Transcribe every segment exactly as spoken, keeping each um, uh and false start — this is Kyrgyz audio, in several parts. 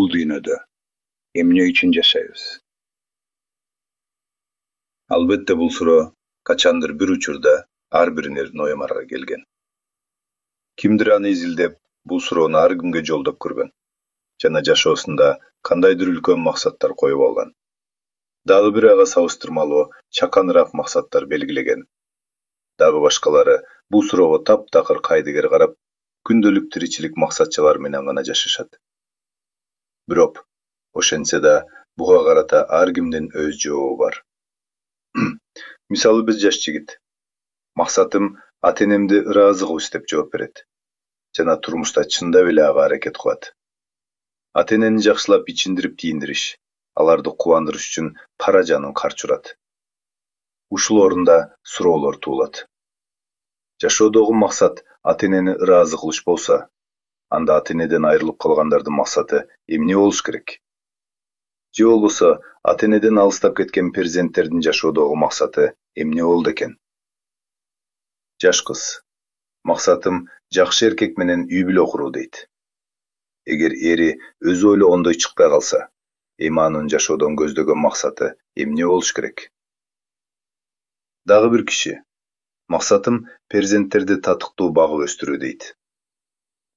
бул дүйнөдө эмне үчүн жашайбыз? Албетте бул суроо качандыр бир учурда ар бириңердин оюмарга келген. Кимдир аны изилдеп, бул суроону ар кимге жолдоп көргөн жана жашоосунда кандайдыр үлкөн максаттар коюп алган. Дагы бир ага салыштырмалуу чаканыраак максаттар белгилеген. Дагы башкалары бул суроого таптакыр кайдыгер карап, күндөлүк тиричилик максатчылар менен гана жашашат. Бирок ошентсе да буга карата ар кимдин өз жообу бар. Мисалы биз жаш жигит. Максатым ата-энемди ыраазы кылыш деп жооп берет. Жана турмушта чындап эле ага аракет кылат. Ата-энени жакшылап ичиндирип тийиндириш, аларды кубандырыш үчүн пара жанын карч урат. Ушул орунда суроолор туулат. Жашоодогу максат ата-энени ыраазы кылыш болсо, анда ата-энеден айрылып калгандардын максаты эмне болуш керек? Же болбосо ата-энеден алыстап кеткен перзенттердин жашоодогу максаты эмне болду экен? Жаш кыз: максатым жакшы эркек менен үй бүлө куруу дейт. Эгер эри өзү ойлогондой чыкпай калса, эми анын жашоодон көздөгөн максаты эмне болуш керек? Дагы бир киши: максатым перзенттерди татыктуу багып өстүрүү дейт.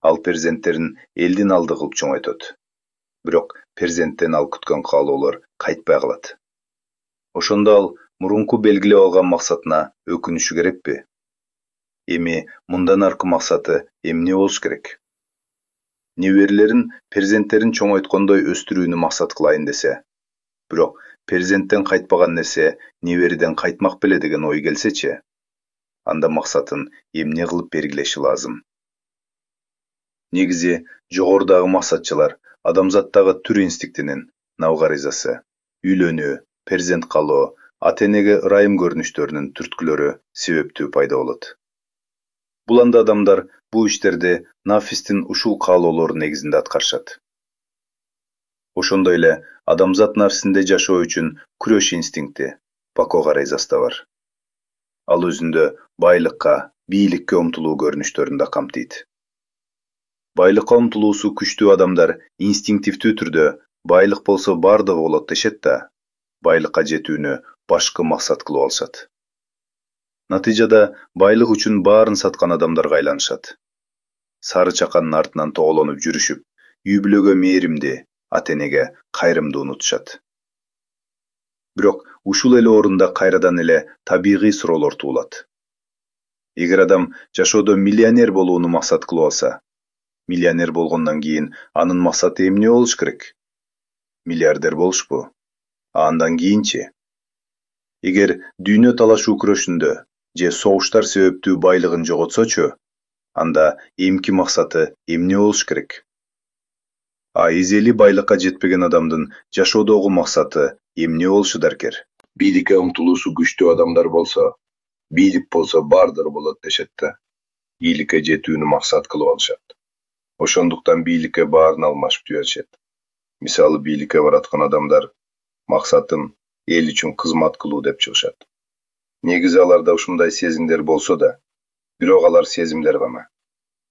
Ал перзенттерин элдин алды кылып чоңойтот. Бирок перзенттен ал күткөн каалоолор кайтпай калат. Ошондо ал мурунку белгилеп алган максатына өкүнүшү керекпи? Эми мындан аркы максаты эмне болуш керек? Неберелерин перзенттерин чоңойткондой өстүрүүнү максат кылайын десе, бирок перзенттен кайтпаган нерсе небериден кайтмак беле деген ой келсечи, анда максатын эмне кылып белгилеши лазым? Негизи жогорудагы максатчылар адамзаттагы түр инстинктинин, навгаризасы, үйлөнүү, перзент калоо, ата-энеге ырайым көрүнүштөрүнүн түрткүлөрү себептүү пайда болот. Бул анда адамдар бул иштерди нафистин ушул каалоолору негизинде аткарышат. Ошондой эле адамзат нафсинде жашоо үчүн күрөш инстинкти, бако гарайзасы да бар. Ал өзүндө байлыкка, бийликке умтулуу көрүнүштөрүн да камтыйт. Байлыкка умтулуусу күчтүү адамдар инстинктивдүү түрдө байлык болсо бардыгы болот дешет да, байлыкка жетүүнү башкы максат кылып алышат. Натыйжада байлык үчүн баарын саткан адамдарга айланышат. Сары чаканын артынан тоголонуп жүрүшүп, үй бүлөгө мээримди, ата-энеге кайрымды унутушат. Бирок ушул эле орунда кайрадан эле табигый суроолор туулат. Эгер адам жашоодо миллионер болууну максат кылып алса, миллионер болгондон кийин анын максаты эмне болуш керек? Миллиардер болушпу? А андан кийинчи? Эгер дүйнө талашуу күрөшүндө же согуштар себептүү байлыгын жоготсочу, анда эмки максаты эмне болуш керек? А изели байлыкка жетпеген адамдын жашоодогу максаты эмне болушу даркер? Бийликке умтулуусу күчтүү адамдар болсо, бийлик болсо бардыгы болот дешет да, бийликке жетүүнү максат кылып алышат. Ошондуктан бийликке баарын алмашып жиберишет. Мисалы, бийликке бараткан адамдар максатым эл үчүн кызмат кылуу деп чыгышат. Негизи аларда ушундай сезимдер болсо да, бирок алар сезимдер гана.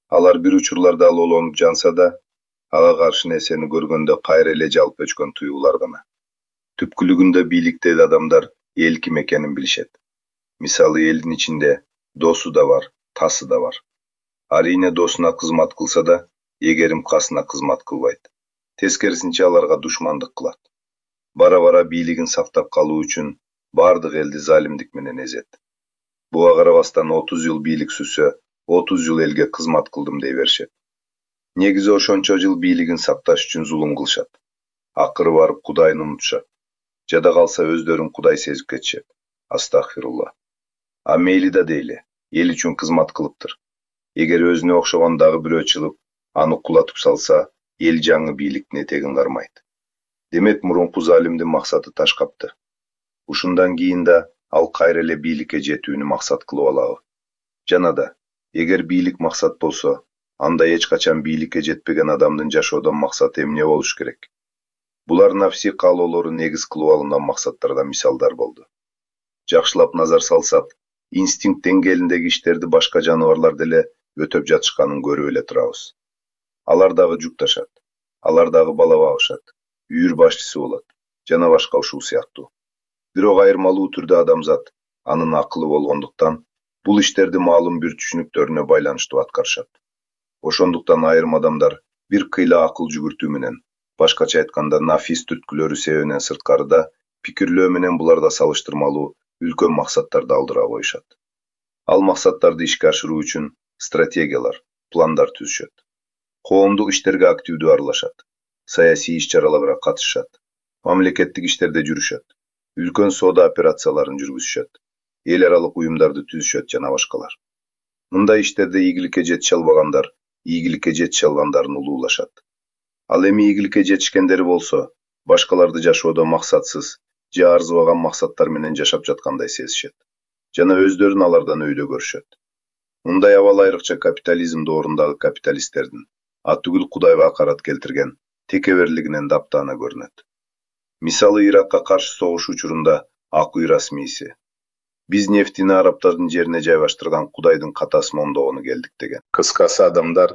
Алар бир учурларда лолонуп жанса да, ага каршы нерсени көргөндө кайра эле жалп өчкөн туюулар гана. Түпкүлүгүндө бийликтеги адамдар эл ким экенин билишет. Мисалы, элдин ичинде досу да бар, тасы да бар. Арийне досуна кызмат кылса да, эгерим касына кызмат кылбайт. Тескерисинче аларга душмандык кылат. Бара-бара бийлигин сактап калуу үчүн бардык элди залимдик менен эзет. Буга карабастан отуз жыл бийлик сүрсө, отуз жыл элге кызмат кылдым дей беришет. Негизи ошончо жыл бийлигин сакташ үчүн зулум кылышат. Акыры барып Кудайын унутушат. Жада калса өздөрүн Кудай сезип кетишет. Астагфирулла. А мейли да дейли, эл үчүн кызмат кылыптыр. Эгер өзүнө окшогон дагы бирөө чыгып, аны кулатып салса, эл жаңы бийликтин этегин кармайт. Демек мурунку залимдин максаты ташкапты. Ушундан кийин да ал кайра эле бийликке жетүүнү максат кылып алабы? Жана да, эгер бийлик максат болсо, анда эч качан бийликке жетпеген адамдын жашоодон максаты эмне болуш керек? Булар нафси каалоолору негиз кылып алынган максаттардан мисалдар болду. Жакшылап назар салсак, инстинкт деңгээлиндеги иштерди башка жаныбарлар деле өтөп жатышканын көрүп эле турабыз. Алар дагы жүкташат. Алар дагы бала багышат, үйүр башчысы болот жана башка ушул сыяктуу. Бирок айырмалуу түрдө адамзат анын акылы болгондуктан бул иштерди маалым бир түшүнүктөрүнө байланыштуу аткарышат. Ошондуктан айрым адамдар бир кыйла акыл жүгүртүү менен, башкача айтканда нафис түрткүлөрү себебинен сырткарыда пикирлөө менен буларда салыштырмалуу үлкөн максаттарды алдыра коюшат. Ал максаттарды ишке ашыруу үчүн стратегиялар, пландар түзүшөт. Коомдук иштерге активдүү аралашат, саясий иш-чараларга катышышат, мамлекеттик иштерде жүрүшөт, үлкөн соода операцияларын жүргүзүшөт, эл аралык уюмдарды түзүшөт жана башкалар. Мындай иштерде ийгиликке жетише албагандар ийгиликке жетише алгандарын улуулашат. Ал эми ийгиликке жетишкендери болсо, башкаларды жашоодо максатсыз же арзыбаган максаттар менен жашап жаткандай сезишет жана өздөрүн алардан өйдө көрүшөт. Мындай абал айрыкча капитализм доорундагы капиталисттердин атүгүл Кудайга акарат келтирген текеберлигинен таптаана көрүнөт. Мисалы, Иракка каршы согуш учурунда Акуй расмийси биз нефтини арабтардын жерине жайгаштырган Кудайдын катасы моңдогону келдик деген. Кыскасы, адамдар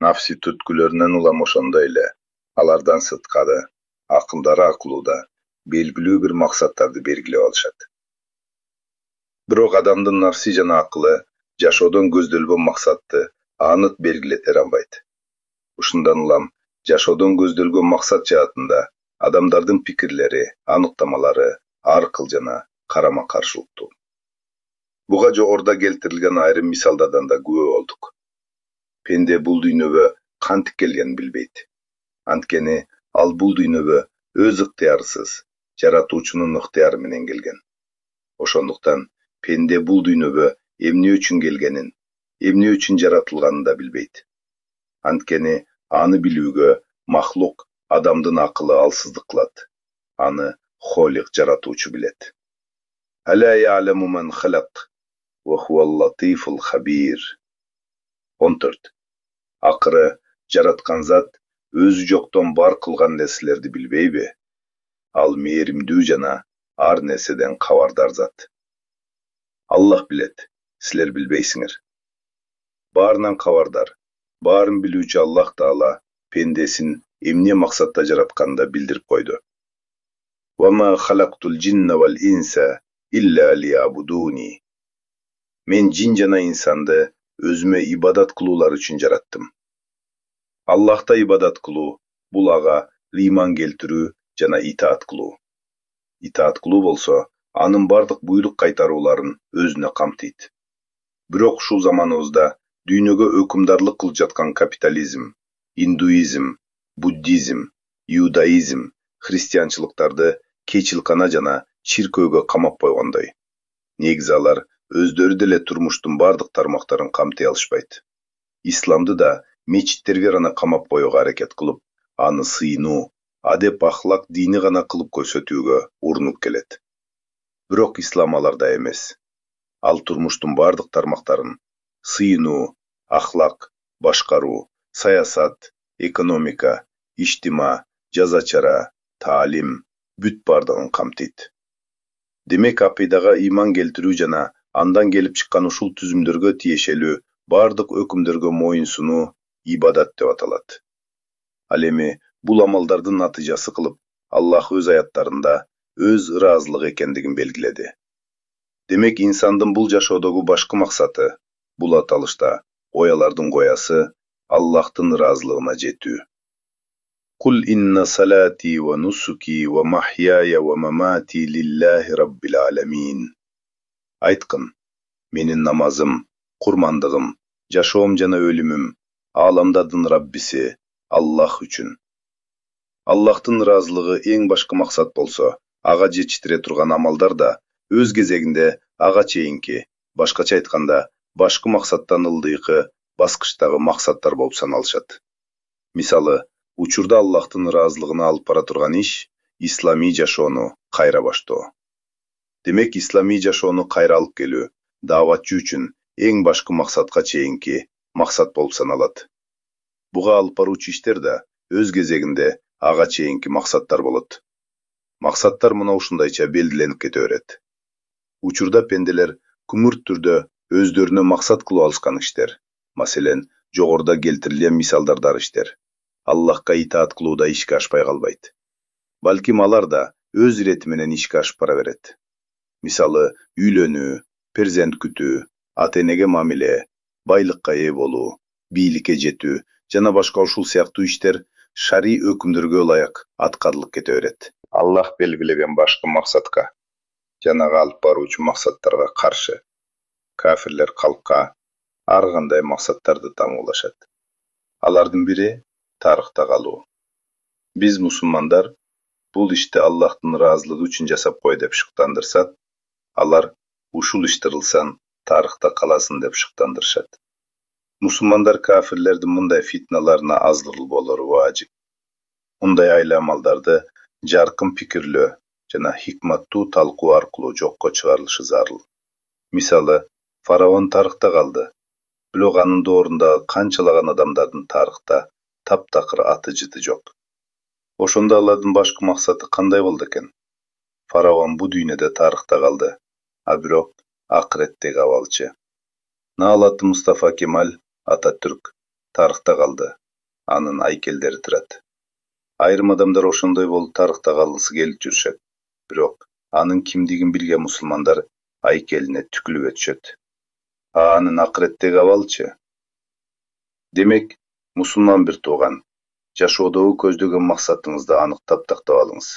нафси түрткүлөрүнөн улам ошондой эле алардан сырткары, акылдары акылууда белгилүү бир максаттарды белгилеп алышат. Бирок адамдын нафси жана акылы жашоодон көздөлгөн максатты анык белгилете албайт. Ушундан улам жашоодон көздөлгөн максат жаатында адамдардын пикирлери, аныктамалары ар кыл жана карама-каршылыктуу. Буга жогоруда келтирилген айрым мисалдардан да күбө болдук. Пенде бул дүйнөгө кантип келгенин билбейт. Анткени ал бул дүйнөгө өз ыктыярысыз, жаратуучунун ыктыяры менен келген. Ошондуктан пенде бул дүйнөгө эмне үчүн келгенин, эмне үчүн жаратылганын да билбейт. Анткени аны билүүгө махлук, адамдын акылы алсыздык кылат. Аны Холик, жаратуучу, билет. Аля я'ламу ман халак ва хувал латифул хабир. он төрт. Акыры жараткан зат өзү жоктон бар кылган нерселерди билбейби? Ал мээримдүү жана ар нерседен кабардар зат. Аллах билет, силер билбейсиңер. Баарынан кабардар, баарын билүүчү Аллах Таала пендесин эмне максатта жаратканын да билдирип койду. Ва ма халактул джинна вал инса илля лиябудуни. Мен жин жана инсанды өзүмө ибадат кылуулар үчүн жараттым. Аллахта ибадат кылуу бул ага ыйман келтирүү жана итаат кылуу. Итаат кылуу болсо, анын бардык буйрук кайтарууларын өзүнө камтыйт. Бирок ушул заманыбызда дүйнөгө өкүмдарлык кылып жаткан капитализм, индуизм, буддизм, иудаизм, христианчылыктарды кечилкана жана чиркөөгө камап койгондой. Негизи алар өздөрү деле турмуштун бардык тармактарын камтый алышпайт. Исламды да мечиттерге гана камап коюуга аракет кылып, аны сыйынуу, адеп ахлак дини гана кылып көрсөтүүгө урунуп келет. Бирок ислам аларда эмес. Ал турмуштун бардык тармактарын сыйынуу, ахлак, башкаруу, саясат, экономика, иштима, жаза чара, таалим бүт бардыгын камтыйт. Демек, акыйдага ыйман келтирүү жана андан келип чыккан ушул түзүмдөргө тиешелүү бардык өкүмдөргө моюн сунуу ибадат деп аталат. Ал эми бул амалдардын натыйжасы кылып Аллах өз аяттарында өз ыраазылыгы экендигин белгиледи. Демек, инсандын бул жашоодогу башкы максаты бул аталышта оялардын коясы Аллахтын ыраазылыгына жетүү. Кул инна салати ва нусуки ва махьяя ва мамати лиллахи раббил аламин. Айткын, менин намазым, курмандыгым, жашоом жана өлүмүм ааламдардын Раббиси Аллах үчүн. Аллахтын ыраазылыгы эң башкы максат болсо, ага жетиштире турган амалдар да өз кезегинде ага чейинки, башкача айтканда, башкы максаттан ылдыйкы баскычтагы максаттар болуп саналышат. Мисалы, учурда Аллахтын ыраазылыгына алып бара турган иш исламий жашоону кайра баштоо. Демек, исламий жашоону кайра алып келүү дааватчы үчүн эң башкы максатка чейинки максат болуп саналат. Буга алып баруучу иштер да өз кезегинде ага чейинки максаттар болот. Максаттар мына ушундайча белгиленип кете берет. Учурда пенделер күмүрт түрдө өздөрүнө максат кылып алышкан иштер, маселен, жогоруда келтирилген мисалдардар иштер. Аллахка итаат кылууда ишке ашпай калбайт. Балким алар да өз ирети менен ишке ашып бара берет. Мисалы, үйлөнүү, перзент күтүү, ата-энеге мамиле, байлыкка ээ болуу, бийликке жетүү жана башка ушул сыяктуу иштер шарий өкүмдөргө ылайык аткарылып кете берет. Аллах белгилеген башкы максатка жанага алып баруучу максаттарга каршы кафирлер калкка ар кандай максаттарды тамуулашат. Алардын бири тарыхта калуу. Биз мусулмандар бул ишти Аллахтын ыраазылыгы үчүн жасап кой деп шыктандырсак, алар ушул иш тырылсан тарыхта каласын деп шыктандырышат. Мусулмандар кафирлердин мындай фитналарына аздырыл болору важип. Мындай айламалдарды жаркын пикирлөө жана хикматтуу талкуу аркылуу жокко чыгарылышы зарыл. Мисалы, фараон тарыхта калды, бирок анын доорундагы канчалаган адамдардын тарыхта таптакыр аты жыты жок. Ошондо алардын башкы максаты кандай болду экен? Фараон бу дүйнөдө тарыхта калды, а бирок акыреттеги абалчы. Наалаты Мустафа Кемаль Ататүрк тарыхта калды, анын айкелдери турат. Айрым адамдар ошондой болуп тарыхта калгысы келип жүрүшөт, бирок анын кимдигин билген мусулмандар айкелине түкүлүп өтүшөт. А анын акыреттеги абалчы? Демек, мусулман бир тууган, жашоодогу көздөгөн максатыңызды аныктап тактап алыңыз.